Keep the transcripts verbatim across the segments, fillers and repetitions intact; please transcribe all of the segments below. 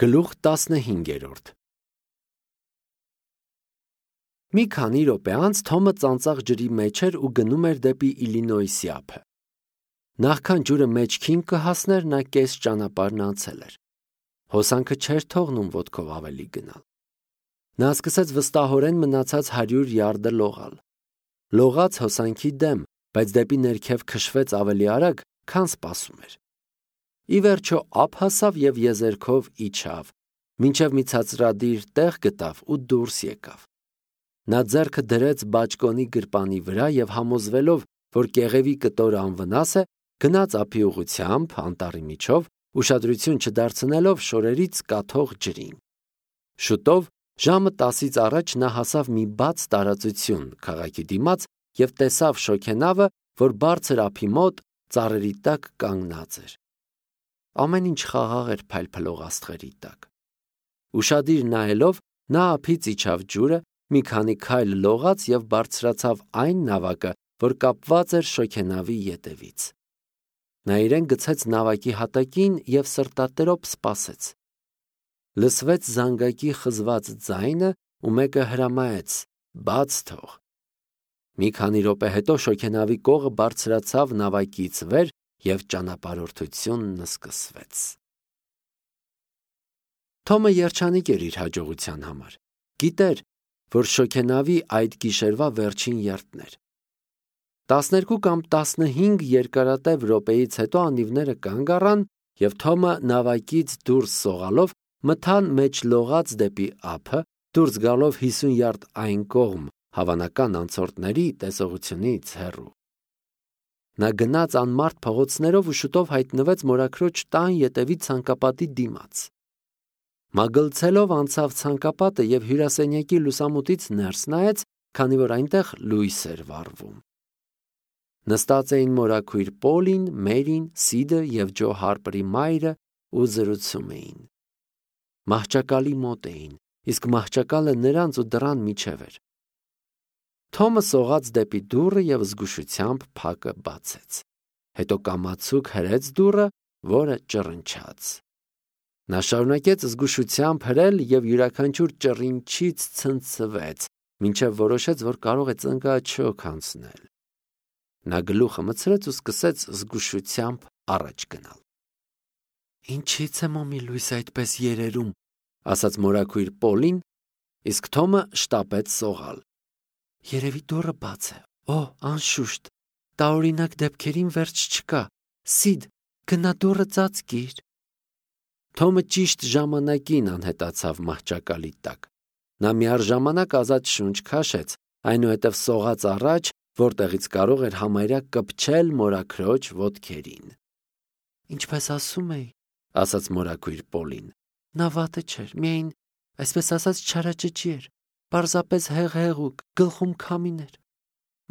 Գլուխ տասնհինգերորդ Մի քանի րոպե անց Թոմը ծանծաղ ջրի մեջ էր ու գնում էր դեպի Իլինոյսի ափը։ Նախքան ջուրը մեջքին կհասներ, նա կես ճանապարհն անցել էր։ Հոսանքը չէր թողնում ոտքով ավելի գնալ։ Նա սկսեց վստահորեն մնացած հարյուր յարդը լողալ։ Լողաց հոսանքի դեմ, բայց դեպի ներքև քշվեց ավելի արագ, քան սպասում էր։ Ի վերջո ափ հասավ և եզերքով իջավ, մինչև մի ցածրադիր տեղ գտավ ու դուրս եկավ։ Նա ձեռքը դրեց բաճկոնի գրպանի վրա և համոզվելով, որ կեղևի կտորը անվնաս է, գնաց ափի ուղղությամբ անտառի միջով, ուշադրություն չդարձնելով շորերից կաթող ջրին։ Շուտով, ժամը տասից առաջ նա հասավ մի բաց տարածություն քաղաքի դիմաց և տեսավ շոգենավը, որ բարձր ափի մոտ ծառերի տակ կանգնած էր։ Ամեն ինչ խաղաղ էր փայլփլող աստղերի տակ։ Ուշադիր նայելով, նա ափից իջավ ջուրը, մի քանի քայլ լողաց և բարձրացավ այն նավակը, որ կապված էր շոգենավի ետևից։ Նա իրեն գցեց նավակի հատակին և սրտատրոփ սպասեց։ Լսվեց զանգակի խզված ձայնը ու մեկը հրամայեց. «Բաց թող»։ Մի քանի րոպե հետո շոգենավի կողը բարձրացավ նավակից վեր և ճանապարհորդությունն սկսվեց։ Թոմը երջանիկ էր իր հաջողության համար։ Գիտեր, որ շոգենավի այդ գիշերվա վերջին երթն էր։ Տասներկու կամ տասնհինգ երկարատև րոպեից հետո անիվները կանգ առան, և Թոմը նավակից դուրս սողալով մթան մեջ լողաց դեպի ափը, դուրս գալով հիսուն յարդ այն կողմ, հավանական անցորդների տեսողությունից հեռու։ Նա գնաց անմարդ փողոցներով ու շուտով հայտնվեց մորաքրոջ տան ետևի ցանկապատի դիմաց։ Մագլցելով անցավ ցանկապատը և հյուրասենյակի լուսամուտից ներս նայեց, քանի որ այնտեղ լույս էր վառվում։ Նստած էին մորաքույր Պոլին, Մերին, Սիդը և Ջո Հարպերի մայրը ու զրուցում էին։ Մահճակալի մոտ էին, իսկ մահճակալը նրանց ու դռան միջև էր։ Թոմը սողաց դեպի դուռը և զգուշությամբ փակը բացեց։ Հետո կամացուկ հրեց դուռը, որը ճռնչաց։ Նա շարունակեց զգուշությամբ հրել և յուրաքանչյուր ճռինչից ցնցվեց, մինչև որոշեց, որ կարող է ծնկաչոք անցնել։ Նա գլուխը մտցրեց ու սկսեց զգուշությամբ առաջ գնալ։ «Ինչի՞ց է մոմի լույս այդպես երերում», ասաց մորաքույր Պոլին, իսկ Թոմը շտապեց սողալ։ «Երևի դուռը բաց է։ Օ, անշուշտ, տարօրինակ դեպքերին վերջ չկա։ Սիդ, գնա դուռը ծածկիր»։ Թոմը ճիշտ ժամանակին անհետացավ մահճակալի տակ։ Նա միառժամանակ ազատ շունչ քաշեց, այնուհետև սողաց առաջ, որտեղից կարող էր համարյա կպչել մորաքրոջ ոտքերին։ «Ինչպես ասում էի», ասաց մորաքույր Պոլին, նա վատը չէր, միայն, այսպես ասած, չարաճճի էր, պարզապես հեղհեղուկ, գլխում քամին էր։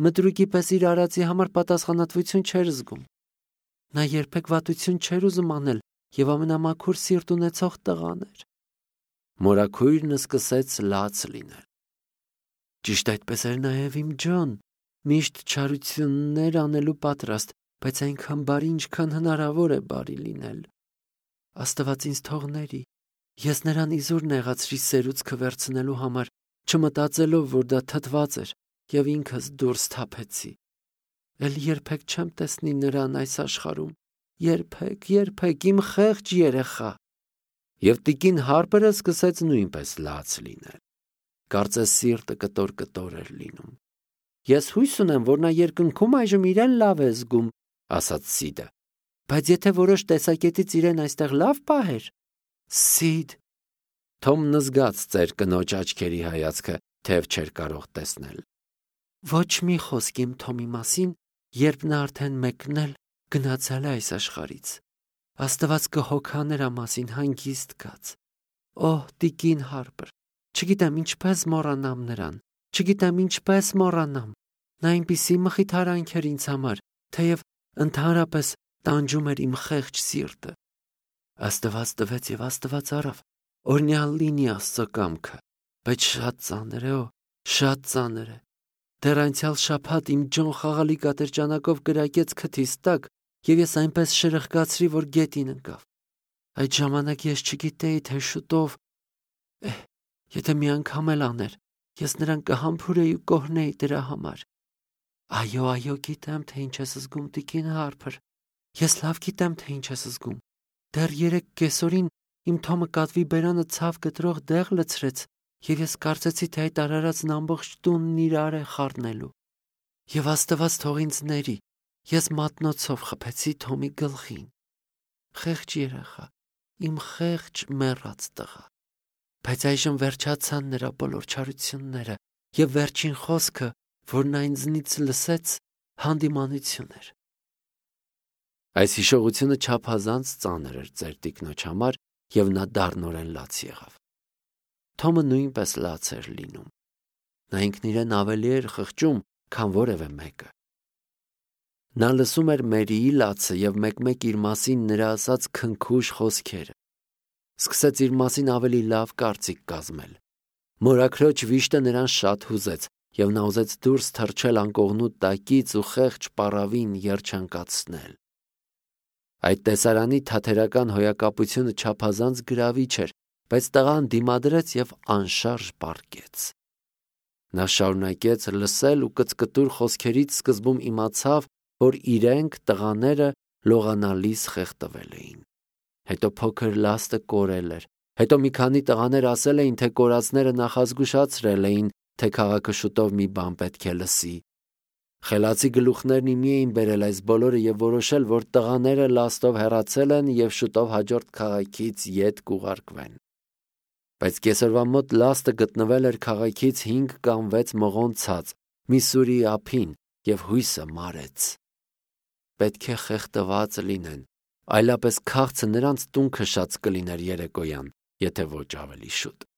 Մտրուկի պես իր արածի համար պատասխանատվություն չէր զգում։ Նա երբեք վատություն չէր ուզում անել և ամենամաքուր սիրտ ունեցող տղան էր։ Մորաքույրն սկսեց լաց լինել։ Ճիշտ այդպես էր նաև իմ Ջոն, միշտ չարություններ անելու պատրաստ, բայց այնքան բարի, ինչքան հնարավոր է բարի լինել։ Աստված ինձ թողների, ես նրան իզուր նեղացրի սերուցքը վերցնելու համար, չմտածելով, որ դա թթված էր, և ինքս դուրս թափեցի։ Էլ երբեք չեմ տեսնի նրան այս աշխարհում, երբեք, երբեք, իմ խեղճ երեխա։ Եվ տիկին Հարպերը սկսեց նույնպես լաց լինել։ Կարծես սիրտը կտոր-կտոր էր լինում։ Ես հույս ունեմ, որ նա երկնքում այժմ իրեն լավ է զգում, ասաց Սիդը։ Բայց եթե որոշ տեսակետից իրեն այստեղ լավ պահեր… Սիդ… Թոմն զգաց ծեր կնոջ աչքերի հայացքը, թեև չէր կարող տեսնել։ Ոչ մի խոսք իմ Թոմի մասին, երբ նա արդեն մեկնել գնացել է այս աշխարհից։ Աստված կհոգա նրա մասին հանգիստ կաց։ Օհ, տիկին Հարպեր, չգիտեմ ինչպես մոռանամ նրան, չգիտեմ ինչպես մոռանամ։ Նա այնպիսի մխիթարանք էր ինձ համար, թեև ընդհանրապես տանջում էր իմ խեղճ սիրտը։ Աստված տվեց և Աստված առավ, օրհնյալ լինի Աստծո կամքը, բայց շատ ծանր է, օ, շատ ծանր է։ Դեռ անցյալ շաբաթ իմ Ջոն խաղալիք ատրճանակով կրակեց քթիս տակ, և ես այնպես շրխկացրի, որ գետին ընկավ։ Այդ ժամանակ ես չգիտեի, թե շուտով, էհ, եթե մի անգամ էլ աներ, ես նրան կհամբուրեի ու կօրհնեի դրա համար։ Այո, այո, գիտեմ, թե ինչ ես զգում, տիկին Հարփր։ Ես լավ գիտեմ, թե ինչ ես զգում։ Դեռ երեկ կեսօրին իմ Թոմը կատվի բերանը ցավ գտրող դեղ լցրեց, եւ ես կարծեցի, թե այդ արարածն ամբողջ տունն իրար է խառնելու։ Եվ Աստված թող ինձ ների, ես մատնոցով խփեցի Թոմի գլխին։ Խեղճ երեխա, իմ խեղճ մեռած տղա։ Բայց այժմ վերջացան նրա բոլոր չարությունները, եւ վերջին խոսքը, որն նա ինձնից լսեց, հանդիմանություն էր։ Այս հիշողությունը չափազանց ծանր էր ծեր տիկնոջ համար, եւ նա դառնորեն լաց եղավ։ Թոմը նույնպես լաց էր լինում։ Նա ինքն իրեն ավելի էր խղճում, քան որևէ մեկը։ Նա լսում էր Մերիի լացը եւ մեկ-մեկ իր մասին նրա ասած քնքուշ խոսքերը։ Սկսեց իր մասին ավելի լավ կարծիք կազմել։ Մորաքրոջ վիշտը նրան շատ հուզեց, եւ նա ուզեց դուրս թռչել անկողնու տակից ու խեղճ պառավին երջանկացնել։ Այդ տեսարանի թաթերական հոյակապությունը չափազանց գրավիչ էր, բայց տղան դիմադրեց եւ անշարժ պառկեց։ Նա շարունակեց լսել ու կծկտուր խոսքերից սկզբում իմացավ, որ իրենք տղաները լողանալիս խեղդվել էին։ Հետո փոքր լաստը կորել էր։ Հետո մի քանի տղաներ ասել էին, թե կորածները նախազգուշացրել էին, թե քաղաքը շուտով մի բան պետք է լսի։ Խելացի գլուխներն իմի էին բերել այս բոլորը եւ որոշել, որ տղաները լաստով հեռացել են եւ շուտով հաջորդ քաղաքից ետ կուղարկվեն։ Բայց կեսօրվա մոտ լաստը գտնվել էր քաղաքից հինգ կամ վեց մղոն ցած, Միսսուրիի ափին, եւ հույսը մարեց։ Պետք է խեղդված լինեն, այլապես քաղցը նրանց տուն քշած կլիներ երեկոյան, եթե ոչ ավելի շուտ։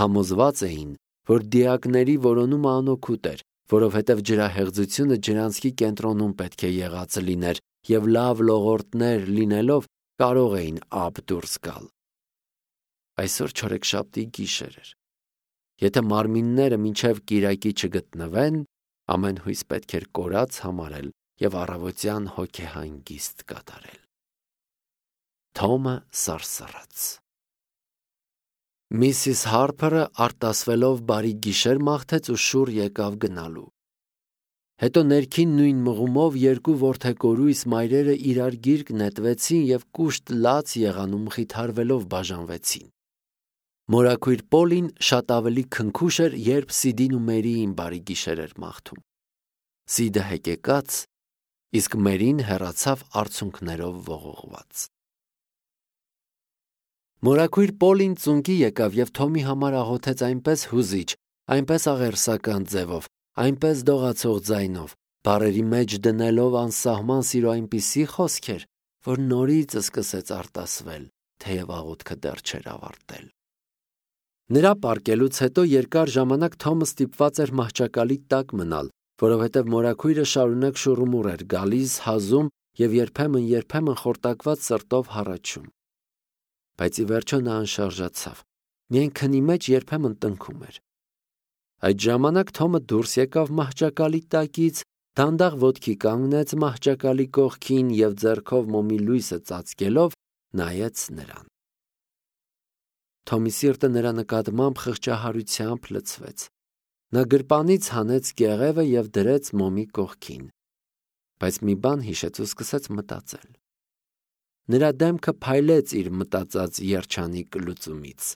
Համոզված էին, որ դիակների որոնումը անօգուտ էր, որովհետև ջրահեղձությունը ջրանցքի կենտրոնում պետք է եղած լիներ եւ լավ լողորտներ լինելով կարող էին ափ դուրս գալ։ Այսօր չորեքշաբթի գիշեր էր։ Եթե մարմինները մինչև կիրակի չգտնվեն, ամեն հույս պետք էր կորած համարել եւ առավոտյան հոգեհանգիստ կատարել։ Թոմը սարսռաց։ Միսիս Հարփերը արտասվելով բարի գիշեր մաղթեց ու շուռ եկավ գնալու։ Հետո ներքին նույն մղումով երկու որդեկորույս մայրերը իրար գիրկ նետվեցին եւ կուշտ լաց եղանում խիթարվելով բաժանվեցին։ Մորաքույր Պոլին շատ ավելի քնքուշ էր, երբ Սիդին ու Մերիին բարի գիշեր էր մաղթում։ Սիդը հեկեկած, իսկ Մերին հեռացավ արցունքներով ողողված։ Մորաքույր Պոլին ծունկի եկավ եւ Թոմի համար աղոթեց այնպես հուզիչ, այնպես աղերսական ձևով, այնպես դողացող ձայնով, բառերի մեջ դնելով անսահման սիրո այնպիսի խոսքեր, որ նորից սկսեց արտասվել, թեև աղոթքը դեռ չէր ավարտել։ Նրա պառկելուց հետո երկար ժամանակ Թոմը ստիպված էր մահճակալի տակ մնալ, որովհետև մորաքույրը շարունակ շուռումուռ էր գալիս, հազում եւ երբեմն-երբեմն խորտակված սրտով հառաչում։ Բայց ի վերջո նա անշարժացավ, միայն քնի մեջ երբեմն տնքում էր։ Այդ ժամանակ Թոմը դուրս եկավ մահճակալի տակից, դանդաղ ոտքի կանգնեց մահճակալի կողքին եւ ձեռքով մոմի լույսը ծածկելով նայեց նրան։ Թոմի սիրտը նրա նկատմամբ խղճահարությամբ լցվեց։ Նա գրպանից հանեց կեղևը եւ դրեց մոմի կողքին, բայց մի բան հիշեց ու սկսեց մտածել։ Նրա դեմքը փայլեց իր մտածած երջանիկ լուծումից։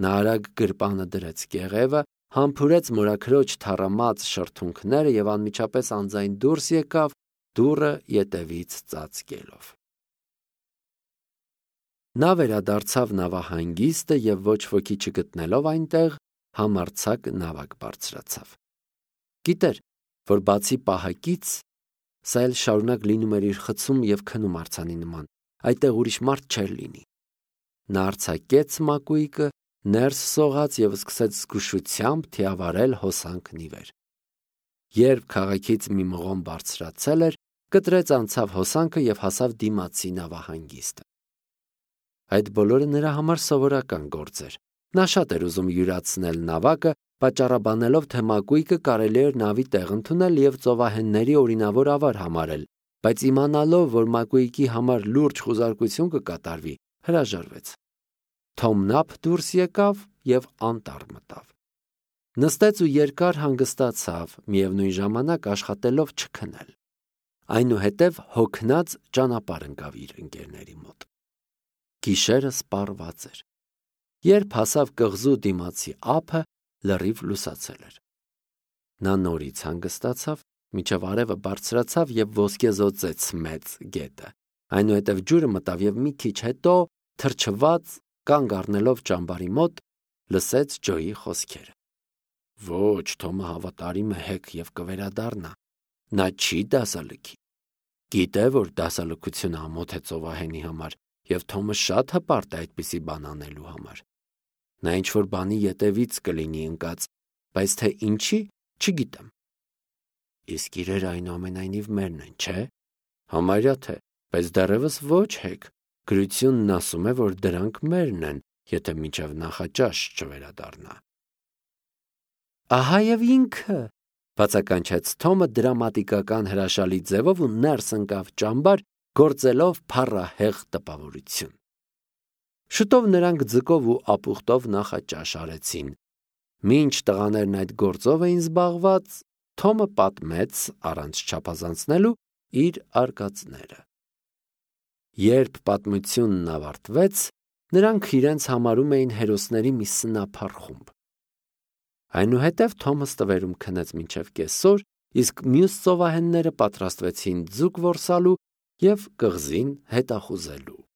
Նա արագ գրպանը դրեց կեղևը, համբուրեց մորաքրոջ թառամած շրթունքները եւ անմիջապես անձայն դուրս եկավ, դուռը ետևից ծածկելով։ Նա վերադարձավ նավահանգիստը եւ ոչ ոքի չգտնելով այնտեղ, համարձակ նավակ բարձրացավ։ Գիտեր, որ բացի պահակից, սա էլ շարունակ լինում էր իր խցում եւ քնում արձանի նման, այդտեղ ուրիշ մարդ չէր լինի։ Նա արձակեց մակույկը, ներս սողաց եւ սկսեց զգուշությամբ թիավարել հոսանքն ի վեր։ Երբ քաղաքից մի մղոն բարձրացել էր, կտրեց անցավ հոսանքը եւ հասավ դիմացի նավահանգիստը։ Այդ բոլորը նրա համար սովորական գործ էր։ Նա շատ էր ուզում յուրացնել նավակը, պատճառաբանելով, թե մակույկը կարելի էր նավի տեղ ընդունել եւ ծովահենների օրինավոր ավար համարել, բայց իմանալով, որ Մակուիկի համար լուրջ խուզարկություն կկատարվի, հրաժարվեց։ Թոմն ափ դուրս եկավ և անտառ մտավ։ Նստեց ու երկար հանգստացավ, միևնույն ժամանակ աշխատելով չքնել։ Այնուհետև հոգնած ճանապարհ ընկավ իր ընկերների մոտ։ Գիշերը սպառված էր։ Երբ հասավ կղզու դիմացի ափը, լրիվ լուսացել էր։ Նա նորից հանգստացավ, մինչև արևը բարձրացավ և ոսկեզօծեց մեծ գետը։ Այնուհետև ջուրը մտավ և մի քիչ հետո, թրջված, կանգ առնելով ճամբարի մոտ, լսեց Ջոյի խոսքերը։ Ոչ, Թոմը հավատարիմ է հեկ և կվերադառնա։ Նա չի դասալքի։ Գիտե, որ դասալքությունը ամոթ է ծովահենի համար, և Թոմը շատ հպարտ է այդպիսի բան անելու համար։ Նա ինչ-որ բանի ետևից կլինի ընկած, բայց թե ինչի, չգիտեմ։ Իսկ իրերը այնուամենայնիվ մերն են, չէ՞։ Համարյա թե, բայց դեռևս ոչ հեկ։ Գրությունն ասում է, որ դրանք մերն են, եթե մինչև նախաճաշ չվերադառնա։ Ահա և ինքը, բացականչեց Թոմը դրամատիկական հրաշալի ձևով ու ներս ընկավ ճամբար, գործելով փառահեղ տպավորություն։ Շուտով նրանք ձկով ու ապուխտով նախաճաշ արեցին։ Մինչ տղաներն այդ գործով էին զբաղված, Թոմը պատմեց, առանց չափազանցնելու, իր արկածները։ Երբ պատմությունն ավարտվեց, նրանք իրենց համարում էին հերոսների մի սնափառ խումբ։ Այնուհետև Թոմը ստվերում քնեց մինչև կեսօր, իսկ մյուս ծովահենները պատրաստվեցին ձուկ որսալու և կղզին հետախուզելու։